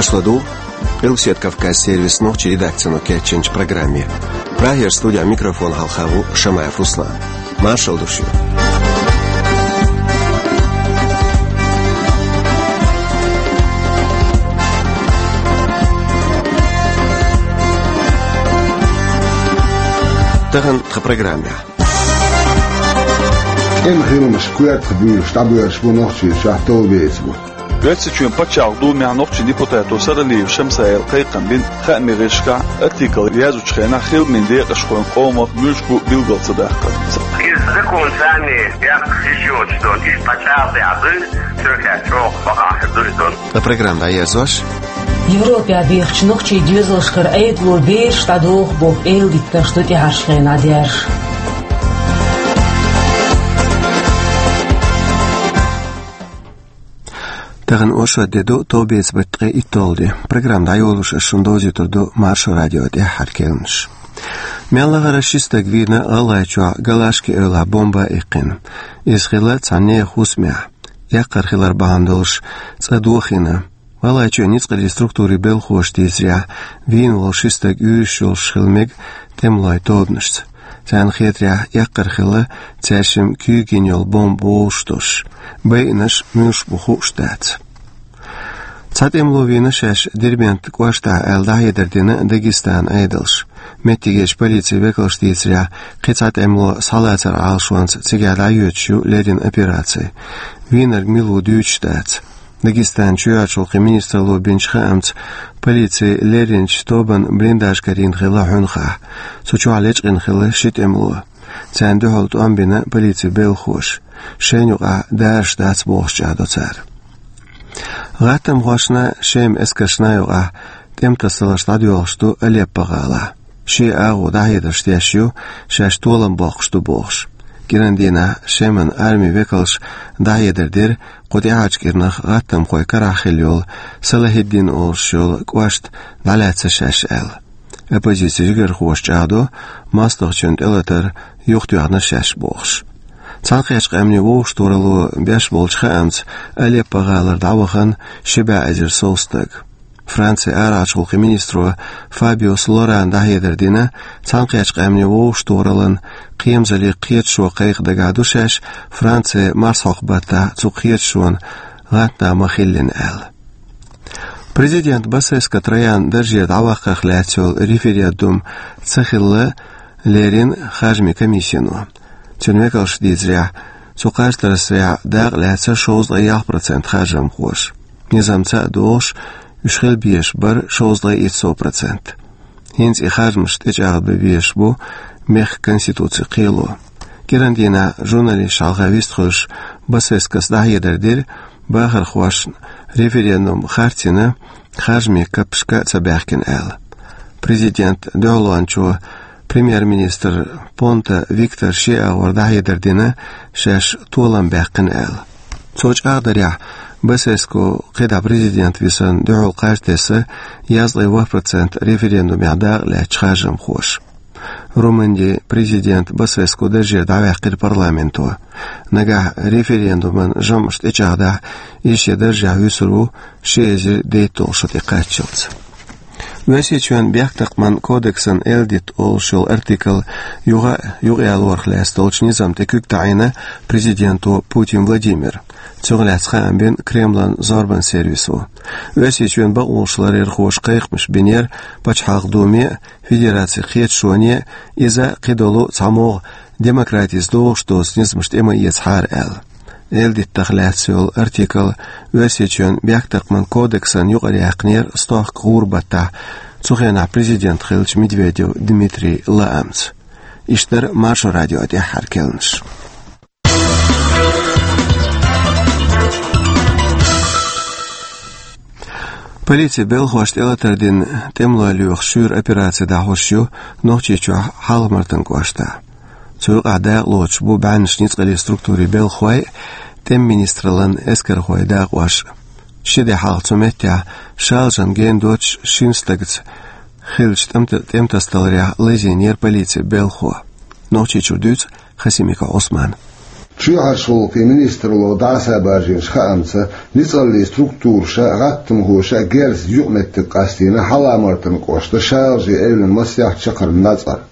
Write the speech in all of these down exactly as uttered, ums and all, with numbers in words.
Аша ладугӀу Къилбаседа Кавказ сервисан нохчийн редакцино кечйинчу программе. Прагера студехь микрофон хьалха ву Шамаев Руслан. Маршалла ду шуьга. Тахана тхан программехь. КӀен хиламаш коьртах буьйлуш дӀабоьрзуш бу Нохчийчохь товбеца бутт. Оьрсийчоьнан пачхьалкхан думехь нохчийн депутато Саралиев Шамсаила кхайкхам бина хаамийн гӀирсашкахь артикл яздечу хенахь хиламийн декъашхойн къомах муьлш бу билгал ца даккхар. Иза законца царна яккха йиш йоцуш долу, иза пачхьалкхехь дуй, цуьнан чӀогӀа бакъахь дуй долу. Ткъа программа дӀаерзош. Европехь бехачу нохчийн доьзалшкара Ӏедало бераш дӀадоху боху эладита таш ду тӀаьхьарчу хенахь даьржа. Тахана оршот де ду, товбеца беттан ткъе итталгӀа де. Программа дӀайолош ас шуна довзуьйтур ду Маршо радион тӀаьххьара керланаш. Мел лахара ши стаг вийна ГӀалгӀайчохь Галашки эвлахь бомба а иккхина. Иза хилла цхьана нехан хӀусамехь. Эккхар хилар бахьана долуш цӀа дохийна. ГӀалгӀайчоьнан ницкъаллин структурийн белхахоша дийцарехь, вийна волу ши стаг уьйраш йолуш хила мега тӀемалойн тобанашца. Царна хетарехь, эккхар хилла цаьршимма куьйга йина йолу бомба вовшахтосуш. Байинарш муьлш бу хууш дац. Цхьа тӀемало вийна шаьш Дербент кӀоштахь аьлла дӀахьедар дина Дагестанан Ӏедалша. Меттигерчу полицин векалша дийцарехь, кхин цхьа тӀемало схьалацаран Ӏалашонца цигахь дӀайоьдуш ю леррина операци. Вийнарг мила ву дуьйцуш дац. Дагестанан чоьхьарчу гӀуллакхийн министралло бинчу хаамца, полици лерринчу тобанан блиндаж карийна хилла Хьуьнхахь. Цу чохь лечкъина хилла ши тӀемало. Царна дуьхьал тӀом бина полицин белхахоша. Шайна юкъахь дараш дац бохуш чӀагӀдо цара. ГӀаттамхошна, Шеман эскаршна юкъахь тӀематасаларш дӀадоьлхуш ду Алеппо-гӀалахь. Шиа агӀо дӀахьедарш деш ю, шаьш толам боккхуш ду бохуш. КӀиран дийнахь Шеман армин векалша дӀахьедар дира, кху тӀаьхьарчу кӀирнах гӀаттамхойн карахь хилла йолу Салахиддин олуш йолу кӀошт дӀалаьцна шаьш аьлла. Оппозицин жигархоша чӀагӀдо, мостагӀчунна тӀелатар юхатоьхна шаьш бохуш. Цхьаьнакхеттачу Къаьмнийн вовшахтохаралло беш болчу хаамца, Алеппо-гӀалара дӀавахана ши бӀе эзар сов стаг. Францин арахьарчу гӀуллакхийн министро Фабиус Лорана дӀахьедар дина, Цхьаьнакхеттачу Къаьмнийн вовшахтохараллин кхерамзаллин кхеташо кхайкха дагахь ду шаьш Францин марсхьокху баттахь цу кхеташонан гӀантда ма-хиллина аьлла. Президент Басеску Троян даржера дӀаваккхарх лаьцна йолу референдум ца хилла лерина харжамийн комиссино. Цуьнан векалша дийцарехь, цу кхаж тасарехь дакъа лаьцна шовзткъе ялх процент харжамхоша. Низам ца а догӀуш, уьш хила безаш бара шовзткъе итт сов процент. ХӀинца и харжамаш тӀечӀагӀдабан везаш бу мехкан конституцин кхело. КӀиран дийнахь журналисташна хьалха вистхуьлуш Басескус дӀахьедар дира, бахархошна референдум харцйина, харжамийн каппашка а ца баьхкина аьлла. Президентан дуьхьалончо, премьер-министр Понта Виктора шен агӀор дӀахьедар дина, шаьш толам баьккхина аьлла. Цо чӀагӀдарехь, Басеску кхидӀа президент висарна дуьхьал кхаж тесна ялхийтта процент референдумехь дакъа лаьцначу харжамхоша. Румынин президент Басеску даржера дӀаваьккхира парламенто. Нагахь референдуман жамӀаш тӀечӀагӀдахь, иза шен даржехь вуьсур ву ши эзар дейтталгӀа шо тӀекхаччалц. Оьрсийчоьнан бехктакхаман кодексан Эл-дитт олуш йолу артикл юха а юкъаялорах лаьцна долчу низам тӀе куьг таӀийна президенто Путин Владимира. Цунах лаьцна хаам бина Кремлан зорбан сервисо. Оьрсийчоьнан бакъонаш ларъярхоша кхайкхамаш бинера Пачхьалкхан Думе а, Федерацин кхеташоне а, иза кхидолу цхьамогӀа демократица догӀуш доцу низамаш тӀе ма эцахьара аьлла. Эл-диттах лаьцна йолу артикл Оьрсийчоьнан бехктакхаман кодексан юкъараяьккхинера стохка гӀуран баттахь, цу хенахь президент хиллачу Медведев Дмитрий лаамца. Иштта дара Маршо радион тӀаьххьара керланаш. Полицин белхахошна тӀелатар дина тӀемалой лоьхуш шуьйра операци дӀахьош ю Нохчийчохь Хьалха-Мартан кӀоштахь. Цу юкъахь дакъа лоцуш бу бӀеннаш ницкъаллин структурийн белхахой а, тӀеман министраллин эскархойн дакъош а. Ши де хьалха цу меттехь шалжан ген доцуш шина стагца хиллачу тӀемта-, тӀематасадаларехь лазийнера полицин белхахо. Нохчийчуьра дуьйцу Хасимиков Ӏусмана. Чоьхьарчу гӀуллакхийн министралло дӀасабаржийначу хаамца, ницкъаллийн структураша а, гӀаттамхоша а герзаца юкъаметтиг къастийна Хьалха-Мартан кӀоштан Шалажийн эвлан масех чаккхарма нацкъара.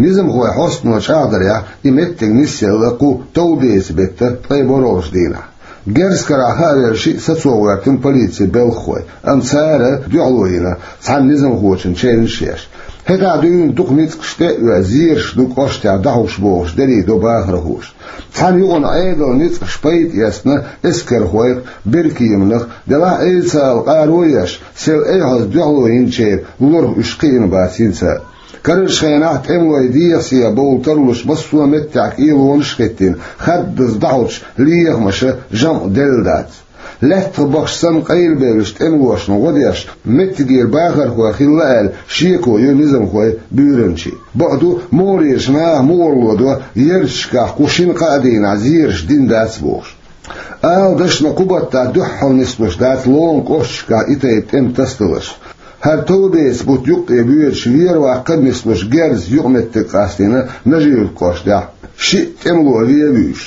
Низамхойн хьостано чӀагӀдарехь, и меттиг нисъелла кху товбеца беттан ткъе ворхӀалгӀачу дийнахь. Герз карахь хаа верг шиъ сацо гӀоьртина полицин белхахой, амма цара дуьхьало йина цхьана низамхочун чевнаш а еш. ХӀетахь дуьйна дукха ницкъаш тӀе а оьху, зераш ду кӀоштехь дӀахьуш бохуш, дерриг до бахархоша. Цхьана юкъана Ӏедалан ницкъаша пайда эцна эскархойх, беркеманах, делахь а эйла ца Ӏала къаро а еш, сел айхьаза дуьхьало йинчеран лорах уьш кхиъна бац хӀинца а. Карарчу хенахь тӀемалойн дехьа-сехьа бовла тарлуш массо а меттехь кӀелонаш а хӀиттийна, хаддаза дӀахьочу лехамаша жамӀ делла дац. Лаьттах бахча санна къайлабевллачу тӀемалошна гӀо деш, меттигера бахархой хилла аьлла, шеко ю низамхойн буьйранчин. Бакъду, могӀарерчу наха мукъарло до, ярташкахь кху шина-кхаа дийнахь зераш дина дац бохуш. Ала дашна, кху баттахь дуьххьал нислуш дац ломан кӀошташкахь и тайпа тӀеман тасадаларш. ХӀара товбеца бутт юккъе боьдуш вер-ваккхар а нислуш герзаца юкъаметтиг къастийна Нажи-Юьртан кӀоштехь, шиъ тӀемало вен а вуьйш.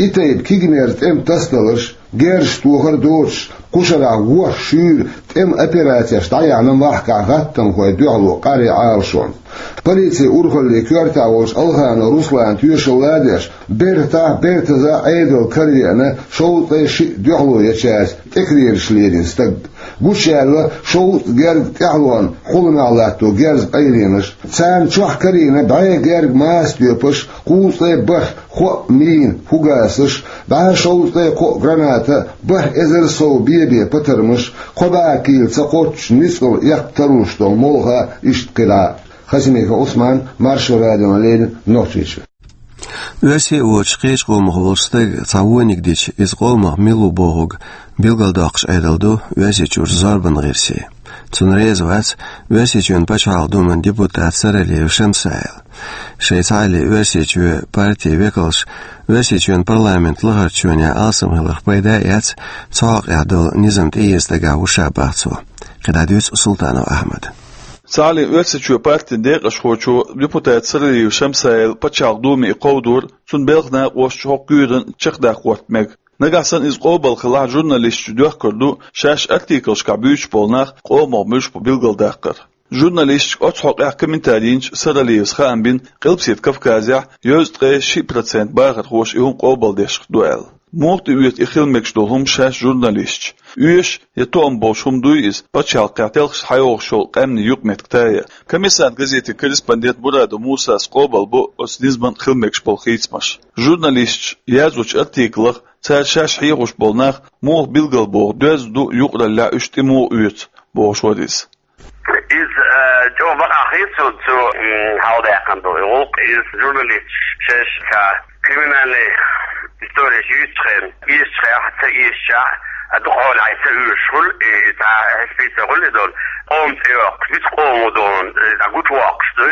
И тайпа кегийнера тӀеман тасадаларш, герзаш тохар а доцуш, кху шарахь ворхӀ шуьйра тӀеман операцеш дӀаяьхьна махкахь гӀаттамхойн дуьхьало къаръян Ӏалашонца. Полицин урхаллин коьртехь волчу Алханов Руслана тоьшалла а деш, бертахь а, бертаза а Ӏедал каравеана шовзткъе шиъ дуьхьало ечаьрца тӀекерелаш лерина стаг. Гучуяьлла шовзткъа герга тӀаьхьалонна хьуламехь латто герзан къайленаш. Царна чохь карийна бӀе герга маса тоьпаш, кхузткъе бархӀ хоъ мина, фугасаш, бӀе шовзткъе кхоъ граната, бархӀ эзар сов бе-бен патармаш, кхо бӀе кийла ца кхоччуш ницкъала эккха тарлуш долу молха, иштта кхидӀа а. Хасимиков Ӏусман, Маршо радиона леррина, Нохчийчоь. Оьрсий а воцуш, кхечу къомах волчу стага цхьа вониг дича, иза къомах мила ву бохург билгалдоккхуш Ӏедал ду Оьрсийчуьрчу зорбанан гӀирсийн. Цунна реза вац Оьрсийчоьнан Пачхьалкхан Думан депутат Саралиев Шамсаил. Шайн цхьаалле Оьрсийчоь партин векалш Оьрсийчоьнан парламентан лахарчу чоьнехь алсам хиларх пайда а эцна, цу хьокъехь долу низам тӀеэца дагахь ву ша, бах цо. КхидӀа дуьйцу Султанов Ахьмада. Цхьаалле Оьрсийчоь партин декъашхочо, депутат Саралиев Шамсаила Пачхьалкхан Думе и кховдор, цуьнан белхан накъосташа хӀокху куьйранна чекхдаккха хӀотта мега. Нагахь санна иза къобал хилахь, журналисташа доьхкур ду шаьш артиклашкахь буьйцуш болу нах къомах муьлш бу билгалдаккхар. Журналисташка оцу хьокъехь комментари йинчу Саралиевс хаам бина, Къилбаседа Кавказехь дезткъе шиъ процент бахархоша и хӀума къобалдеш ду аьлла. Муха тӀеоьцу и хила мегаш долу хӀума шаьш журналисташа? Оьшуш я тоам болуш хӀума дуй иза, пачхьалкхехь телхаш схьайогӀуш йолу къаьмнийн юкъаметтиг тая? Коммерсант газетан корреспондент Мурадов Мусас къобалбо оцу низаман хила мегаш болу хийцамаш. Журналисташа яздечу артиклах, цара шаьш хьехош болу нах муха билгалбоху, доьзна ду, юкъараллехь уьш тӀе муха оьцу, бохуш вара иза. Иза, э, чӀогӀа бакъахь хийцалуш цо, м, хьалдаьккхина ду и гӀуллакх. Иза журналисташа шаьш цхьа криминальный истореш юьйцучу хенахь, эшачу хенахь, ца эшачохь, а, дукха хьолахь ца оьшуш хуьлу, и цхьа хьаьшпица хуьлу и долу, къоман цӀе йоккхуш, муьлхха къоман ву долу, и цхьа гучувоккхуш ду.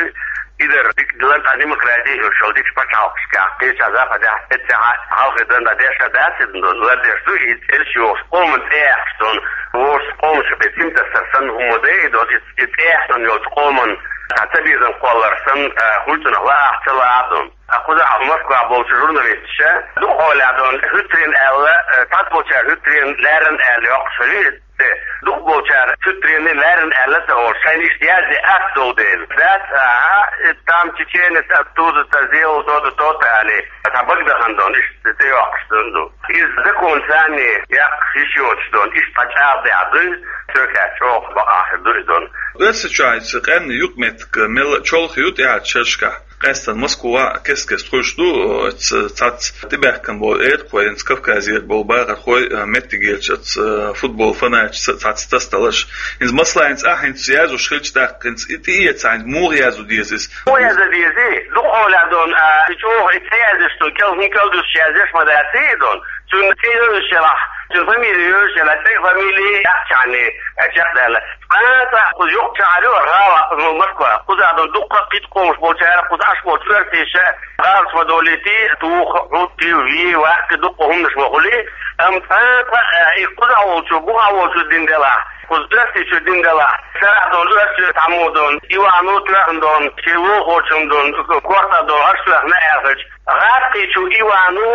И дара дика лан цхьа демократи йолуш йолу дикачу пачхьалкхашкахь, кхечахь Западехь, эццехь а хьалхе дан дан деш а дац и долу, лардеш ду и цӀераш йохуш, къоман цӀе яьккхуш долу, вовшашца къоман шен цӀе тасар санна хӀума ма ду и долу, и, и цӀе яьккхина йолчу къоман цхьа цабезам кхоллар санна, а, хуьлу цунах лаахь а, ца лаахь а долу. Ткъа кхузахь Москвахь болчу журналисташа дукха хьолехь долу хӀуьттаренна аьлла, э, цхьаболчара хӀуьттаренна лаьррина аьлла йоккхуш хилийта, дукхахболчара хӀуьттаренна лаьррина аьлла ца олуш, шайна иштта язде атта долу дела. Дац, аха, и там чеченец оттуда-то сделал то-то, то-то аьлла, цхьа бага дахана долу, иштта тӀейоккхуш долу. Иза законца санна яккха йиш йоцуш долу, иштта цхьа чӀагӀдехь дуй, цуьнан чӀогӀа бакъахь хир ду и долу. Оьрсийчохь иза къаьмнийн юкъаметтиг мелла а чолхе ю тӀаьхьарчу шерашкахь. Къаьстина Москвахь а кест-кеста хуьлуш ду, оцу цхьацца тӀебаьхкина болу эркахой, хӀинца Кавказера болу бахархой, а, меттигерчу оцу, а, футбол фанаташца цхьацца тасадаларш. ХӀинца, масала, хӀинца ахь хӀинца яздеш хилча, тӀаккха хӀинца и тӀеэца хьайна муха яздан деза иза? Муха яздан деза? Дукха хьолехь долу, а, и чӀогӀа и ца яздеш долу, кӀел-, хӀун кӀелдуьсуш яздеш ма дац и долу. Цуьнан цӀе йолуш елахь, цуьнан фамили йолуш елахь, цӀе, фамили яхчахьана, а, чекхдаьлла. Цкъа а цкъа кхуза юкъ чу хьалайо, гӀала, кхуза Москва, кхузахь долу дуккха а кхин къомаш болчара, кхуза Ӏаш болчу оьрсаша гӀалаш ма долуьйтий, туху, хӀуттий, вий, ваккхий, дуккха хӀуманаш ма хуьлий, амма цкъа а цкъа, э, и кхузахь волчо, бухахь волчо дина делахь, Кхуза Оьрсийчу дина делахь, сарахь долу оьрсийн цхьаммо долу Ивано тоьхна долу, шен лулахочун долу, корта долу оьрсийн аьлла хилча, гӀаттийчу Ивано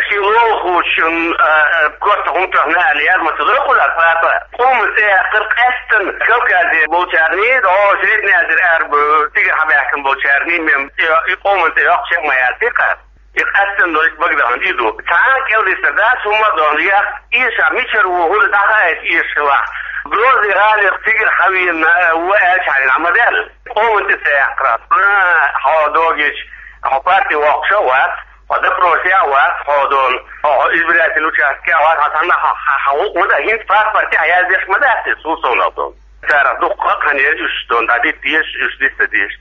шен лулахочун, а, а, корта хӀума тоьхна аьлла яьлла ма ца догӀу хӀуна, папа. Къоман цӀе яьккхира къаьсттина Кавказе болчарний, о, Средняя Азия аьлла бу, цигара хьабаьхкина болчарний, мем, и, и къоман цӀе йоккхуш ма яций-кх. И къаьсттина долу багадахана и ду. Цхьа а кӀелдистар дац, хӀумма а дохна, я эша мичара ву, хӀунда дӀахаийта эша хилахь. Грозный гӀалин цигара хьавийна, э, ву аьлча хьайна ма даьлла. Къоман цӀе ца яьккхира. А, хьо догийча, хьо партий воккхуш а вац, хьо допросе а вац, хьо дон, хьо, хьо избирательный участке а вац, хьо цхьанна хьо, хьо, хьо гӀуллакх ма дан, хӀинца паспорте хьаязъеш ма дац те, цул совнаха дон. Царах дуккха а хьан еза уьш дон, дӀадитта дезаш, уьш диста дезаш.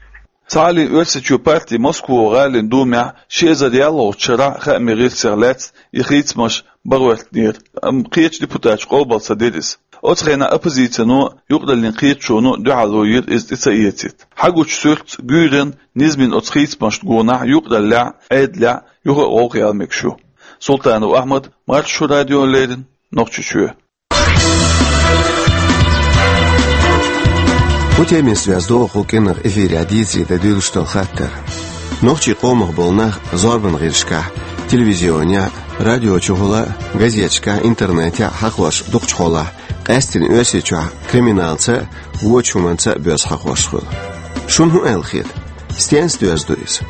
Цхьааллин Оьрсийчоь партий Москва гӀалин думехь ши эзар ялхолгӀачу шарахь хаамийн гӀирсех лаьцна и хийцамаш бахӀоьттинера, амма кхечу депутаташа къобал ца дира иза. Оцу хенахь оппозицино, юкъараллин кхеташоно дуьхьало йира иза тӀе ца эцийта. Хьагучу суьртаца, гуьйранна, низамна оцу хийцамашна гонахь юкъараллехь, Ӏедалехь юха а гӀовгӀа яла мегаш ю. Султанов Ахьмад, Маршо радиона леррина, Нохчийчоь. Кху темица доьзна догӀу кху кӀиранах эфирехь дийцаре дан дуьйлуш долу хаттар. Нохчийн къомах болу нах зорбанан гӀирсашкахь, телевизионехь, радиочухула а, газеташкахь, интернетехь а хьахош дукхачу хьолахь, къаьсттина Оьрсийчохь криминалца а, вочу хӀуманца а боьзна хьахош хуьлу. Шуна хӀун аьлла хета? Стенца доьзна ду иза?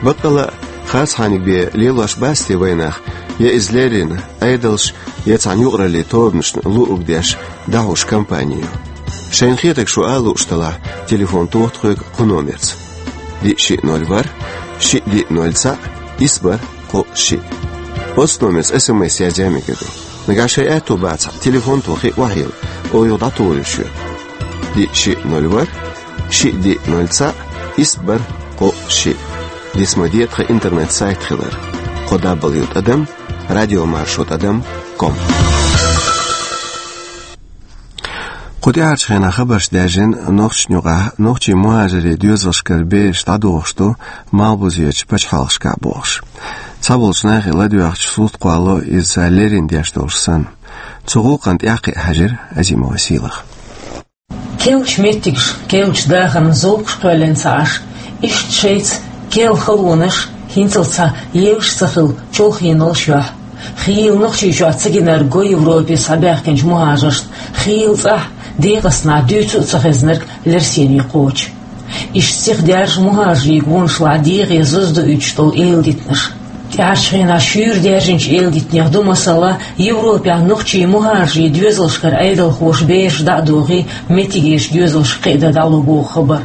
Баккъала а, харцхьаниг бен лелош бац те вайн нах, я иза леррина Ӏедалш, я цхьана юкъараллин тобанашна луург деш, дӀахьош кампани ю? Шайна хетарг шу ала лууш делахь, телефон тоха тхоьга кху номерца: диъ шиъ ноль ворхӀ, шиъ диъ ноль цхьаъ, исс бархӀ кхоъ шиъ. Оцу номерца эс эм эс язъян мегар ду. Нагахь шайн аьтто бацахь, телефон тохий охьайилла, оха юха дӀатухур ю шуьга. Диъ шиъ ноль ворхӀ, шиъ диъ ноль цхьаъ, исс бархӀ кхоъ шиъ. Диц ма де тхан интернет-сайт хилар: кхо дабл ю тӀадам радиомаршо тӀадам ком. Кху тӀаьхьарчу хенахь хабарш даьржина нохчашна юкъахь нохчийн мухӀажарийн доьзалшкара бераш дӀадохуш ду малхбузерчу пачхьалкхашкахь бохуш. Цхьаболчу нахе ладоьгӀча, сурт кхоллало иза цара леррина деш долуш санна. Цу гӀуллакхна тӀаьхьакхиа хьаьжира Азимова Сийлаха. Керлачу меттигаш, керлачу дахарна зовкхаш кхоьллина ца Ӏаш, иштта шайца керла халонаш, хӀинцалц цхьа евзаш ца хилла, чолхе йолуш йолу хьал. Хийла Нохчийчохь ца гинарг го Европе схьабаьхкинчу мухӀажаршна, хийла цӀахь, декъаснахь дуьйцу а ца хезнарг лерсене кхочу. Иштта сихдаьржа мухӀажарийн гонашлахь дегӀе зазадуьйцуш долу эладитанаш. ТӀаьхьарчу хенахь шуьйра даьржинчу эладитанех ду, масала, Европехь нохчийн мухӀажарийн доьзалшкара Ӏедалхоша бераш дӀа а дохий, меттигерчу доьзалшка кхиадан дӀало боху хабар.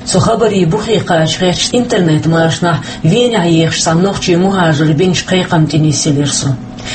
Цу хабарийн бухе кхача гӀерташ интернет-машанахь Венехь ехачу цхьана нохчийн мухӀажара бинчу кхайкхамна тӀенисъелира со.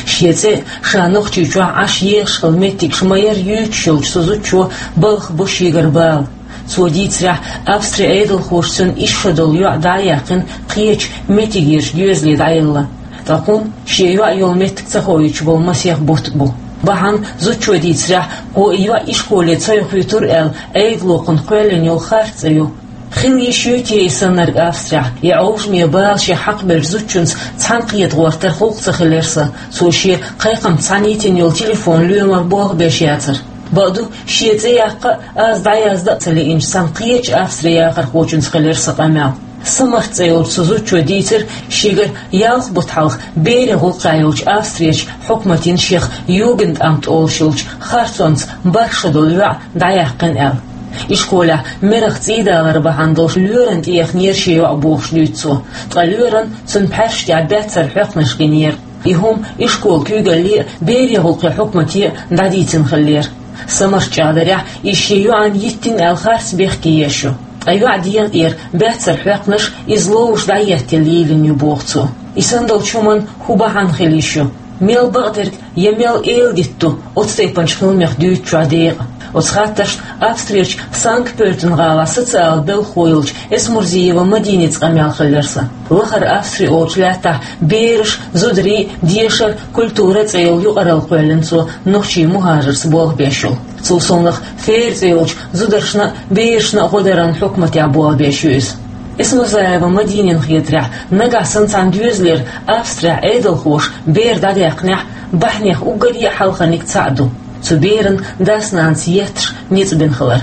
Шен цӀе а, ша Нохчийчохь Ӏаш ехаш хилла меттигаш ма-ярра юьйцуш йолчу цу зудчо балхабо шегара бала. Цо дийцарехь, Австрин Ӏедалхоша цуьнан исс шо долу йоӀ дӀа а яьккхина, кхечу меттигерчу доьзале дӀаелла. Ткъа кхунна шен йоӀ йолу меттиг ца хоуьйтуш болу масех бутт бу. Бахьана, зудчо дийцарехь, кхо и йоӀ ишколе ца йохуьйтура аьлла, Ӏедало кхунна кхоьллина йолу харц цӀе ю. Хила йиш юй те и саннарг Австрехь? И Ӏовжаме бала шех хьакхабеллачу зудчуьнца цхьаьна кхета гӀортар хӀуллакх ца хилира сан, цо шен кхайкхамца цхьаьна йитина йолу телефон лоьмар болх беш яцара. Бакъду, шен цӀе яккха а, аз дӀаяздан а ца лиъначу цхьана кхечу Австрин яхархочуьнца хилира сан къамел. Самарт цӀе йолчу цу зудчо дийцира, шегара ялх бутт хьалха берийн гӀуллакхехь йолчу Австрерчу хьукматана шех Югендамт олуш йолчу харцонца бархӀ шо долу йоӀ дӀаяьккхина аьлла. Ишколехь мерах цӀийдалар бахьана долуш лоьрана тӀеэхнера шен йоӀ бохуш дуьйцу цо, ткъа лоьрана цуьнан пхьаьрсаш тӀехь баьццара хьоькхнаш гинера. И хӀума ишколан куьйгалле а, берийн гӀуллакхийн хьукмате а дӀадийцина хиллера. Самарт чӀагӀдарехь, иза шен йоӀана йиттина аьлла харц бехке еш ю. Ткъа йоьӀан дегӀа тӀера баьццара хьоькхнаш иза ловзуш дӀаеттина лелийна ю, боху цо. И санна долчу хӀуманна хӀун бахьана хила йиш ю? Мел бакъдерг я мел эладита ду оцу тайпанчу хиламех дуьйцучохь декъа? Оцу хаттаршна Австрерчу Санкт-Пёльтен-гӀалахь социалан белхахо йолчу Эсмурзиева Мадиница къамел хиллера сан. Лахара Австри олучу лаьттахь бераш, зударий, дешар, культура цӀе йолу юкъаралла кхоьллина цо нохчийн мухӀажарца болх беш йолу. Цул совнаха Фейра цӀе йолчу зударшна а, берашна а гӀо даран хьукматехь болх беш ю иза. Эсмурзиева Мадинина хетарехь, нагахь санна цхьана доьзалера Австрехь Ӏедалхоша бер дӀадаьккхинехь, бахьанех уггаре а хьалхарниг цхьаъ ду. цу беран дас-нанас етташ ницкъ бина хилар.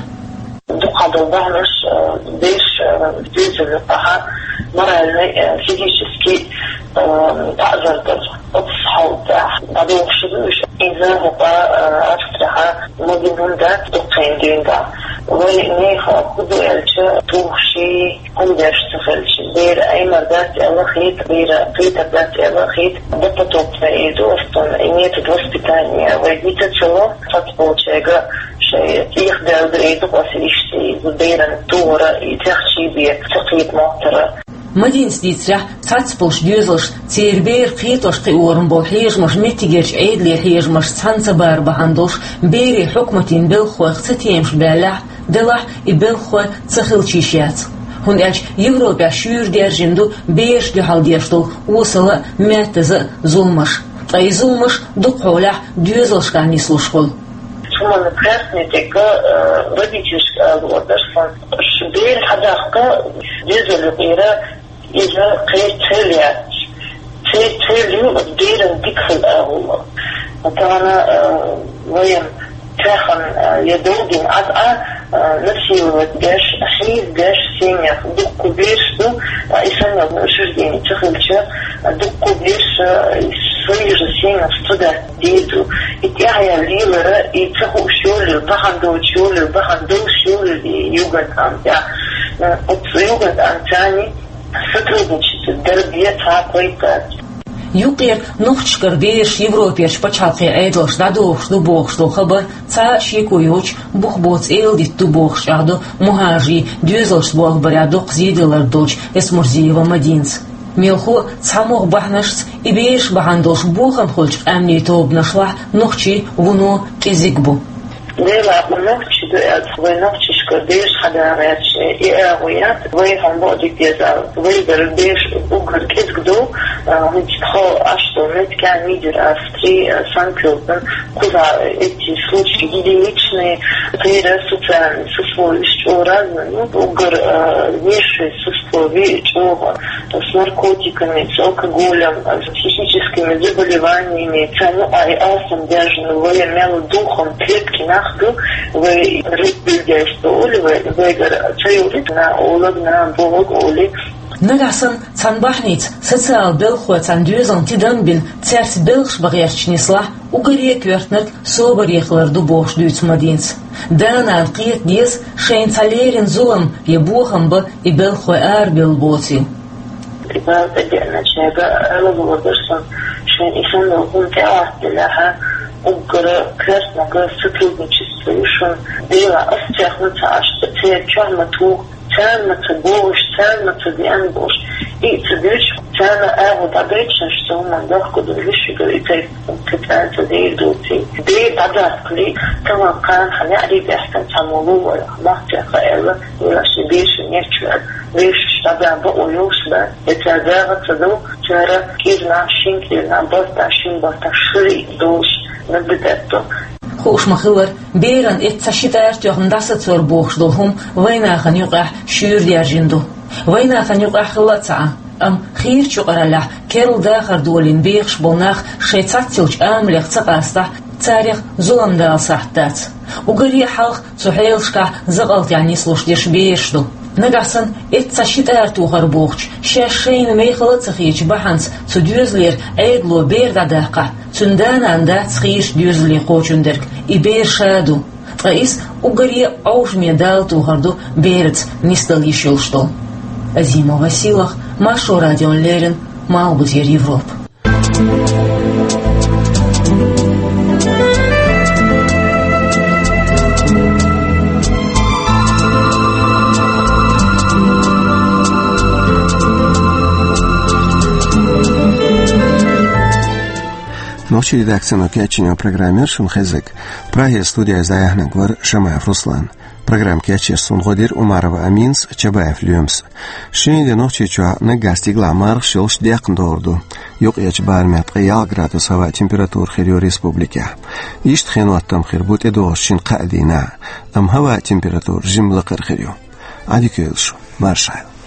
Дукха долу бахьанаш, э, бераш, э, доьзале юкъахь моральный, э, физический, э, таӀзар дар. Оцу хьолехь дӀадохуш ду уьш. Иза хӀокху, э, Австрехь ма бина хӀума дац дуккха хан дуьйна. Вай нехан хӀун ду аьлча, тухуш хӀума деш ца хилча, бер Ӏемар дац аьлла хета, бер кхетар дац аьлла хета, допотопный эр ду оцунна, и метод воспитания вай дитина ца ло, цхьацболчаьрга шайн тӀехдаьлла ду эр ду-кх аса иштта, иза беран тухара, и цхьаьхчий бен ца кхета моттара. Мадинас дийцарехь, цхьацболчу доьзалшна церан бер кхетош кхиорна болу хьежамаш меттигерчу Ӏедалан хьежамашца цхьаьна ца бар бахьана долуш, берийн хьукматийн белхалойх цатемаш баьллехь, делахь и белхалой ца хилча йиш яц. ХӀунда аьлча Европехь шуьйра даьржина ду берашна дуьхьал деш долу осала а, маьттаза а зуламаш. Ткъа и зуламаш дукха хьолехь доьзалшкахь нислуш хуьлу. Цу хӀуманна кхаьчна тӀе, э, родительшка ала лууш дара сан. Ш-, бер хьадаккха доьзал юкъера, иза кхеран цхьа хӀума яц. Церан цхьа хӀума ю оцу беран дика хила агӀо. Тахана, э, вайна цхьаьна, э, я долдина Ӏад а, э, насиловать деш, хьийзадеш семьях дуккха бераш ду, ткъа и санна учреждени ца хилча, дуккха бераш, э, своих же семьях страдать дийр ду. И тӀаьхьа лелара, и ца хууш йолийла, бахьана доцуш йолийла, бахьана долуш йолийла и Югентамт тӀехь. Э, оцу Югентамтца сотрудничать дар бен цхьа а пайда дац. Юккъера нохчашкара бераш Европерчу пачхьалкхийн Ӏедалшка дӀадохуш ду бохуш долу хабар цхьа а шеко йоцуш бух боцу эладита ду бохуш чӀагӀдо мухӀажарийн доьзалшца болх барехь доккха зеделларг долчу Эсмурзиева Мадинас. Мелхо а, цхьамогӀа бахьанашца и бераш бахьана долуш бохам хуьлучу къаьмнийн тобанашлахь нохчий вуно кӀезиг бу. Делахь, нохчий ду аьлла, вай нохчашкара бераш хьада гӀерташ и агӀо яц, вай хьуна бакъдерг деза, вайгара бераш уггар кӀезиг ду, а, хӀинца тхо Ӏаш долу меттигехь Нидер-Австри, а, Сан-Кёльпин, кхузахь эти случаи единичные, церан социальный сословиш чӀогӀа разный, ну, уггар, а, низший сослови чӀогӀа. С наркотиками, с алкоголем, с психическими заболеваниями, царна юкъахь и алсам даьржина вай мел духом крепкий нах ду, вай религиоза олу вай, вайгара ца йолу на олаг, на бохаг олу. Нагахь санна цхьана бахьаница социалан белхалой цхьана доьзална тидам а бина, цаьрца белхаш бан гӀерташ нислахь, уггаре а коьртаниг собаре хилар ду бохуш дуьйцу Мадинас. Да-нана кхета деза шайна цхьа леррина зулам я бохам бан и белхалой арабевлла боцийла. Бала тӀедеъначаьрга ала лууш дара сан, шайна и санна хӀума тӀехӀоттаделахь, уггара коьртаниг сотрудничество ю шуна. Делахь, ас цех ма ца Ӏаш, церан чохь ма туху, царна ма ца бохуш, царна ма ца деана бохуш. И ца дуьйцуш, царна агӀо дӀадойтуш, шу цу хӀуманна дохко ду, вуьшигара и тайпа кхин цкъа а ца дийр доций. Бер дӀадаккхале, тахана кхана хьан неӀарий баьхкина цхьаммо ву вайх, махкех а аьлла, вела ши бешан нечвар, бешаш дӀадаккха бакъо йолуш бац, я цара дагӀа ца до, цара кӀирнахь, шин кӀирнахь, бартахь, шин бартахь шуьйра долуш набдатто. Хууш ма-хиллара, беран эцца ши тӀара тоьхна дӀасацор бохуш долу хӀума вайнахана юкъахь шуьйра даьржина ду. Вайнахана юкъахь хилла а ца Ӏа, амма хийрачу юкъараллехь керла дахар долийна бехаш болу нах шайн цхьаццайолчу амалех ца къастахь, царех зулам дала сахьт дац. Уггаре а хьалха цу хьелашкахь закъалтехь нислуш дерш бераш ду. Нагахь санна эцца ши тӀара тохар бохучу, шаьш шайна мехала а ца хетачу бахьанца цу доьзалера Ӏедало бер дӀадаккхахь, цуьнан да-нана дац хийрачу доьзале кхочун дерг, и бер ша ду. Ткъа иза уггаре а Ӏовшаме дала тохар ду бераца нисдала йиш йолуш долу. Азимова Силах, Маршо радиона леррина, Малхбузера Европа. Нохчийн редакцино кечйина программа яра шуна хезнарг. Прагера студехь дӀаяьхьнарг вара Шамаев Руслан. Программа кечъеш суна гӀо дира Умарова Аминас, Чабаев Лоьмас. Шина де Нохчийчохь наггахь стигалахь мархаш йолуш даьккхина догӀур ду. Юккъерчу барамехь ткъе ялх градус хӀаваан температура хир ю республикехь. Иштта хеноттам хир бу тӀедогӀучу шина-кхаа дийнахь, амма хӀаваан температура жимма лакхара хир ю. Ӏадика йойла шу, марша Ӏойла.